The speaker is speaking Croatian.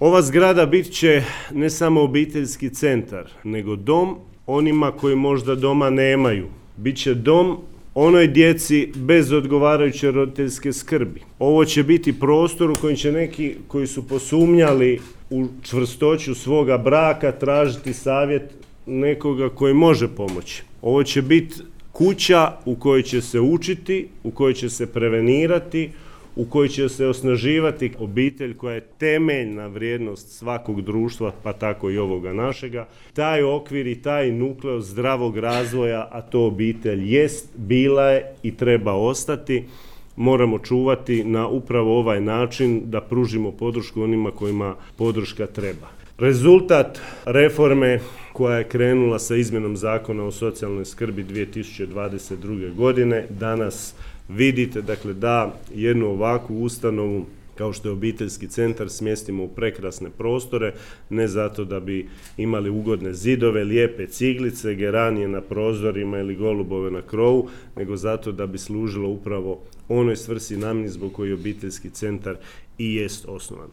Ova zgrada bit će ne samo obiteljski centar, nego dom onima koji možda doma nemaju. Biće dom onoj djeci bez odgovarajuće roditeljske skrbi. Ovo će biti prostor u kojem će neki koji su posumnjali u čvrstoću svoga braka tražiti savjet nekoga koji može pomoći. Ovo će biti kuća u kojoj će se učiti, u kojoj će se prevenirati, u kojoj će se osnaživati obitelj koja je temeljna vrijednost svakog društva, pa tako i ovoga našega. Taj okvir i taj nukleo zdravog razvoja, a to obitelj jest, bila je i treba ostati, moramo čuvati na upravo ovaj način da pružimo podršku onima kojima podrška treba. Rezultat reforme koja je krenula sa izmjenom Zakona o socijalnoj skrbi 2022. godine danas vidite, dakle, da jednu ovakvu ustanovu kao što je obiteljski centar smjestimo u prekrasne prostore, ne zato da bi imali ugodne zidove, lijepe ciglice, geranije na prozorima ili golubove na krovu, nego zato da bi služilo upravo onoj svrsi namjeni zbog koje obiteljski centar i jest osnovan.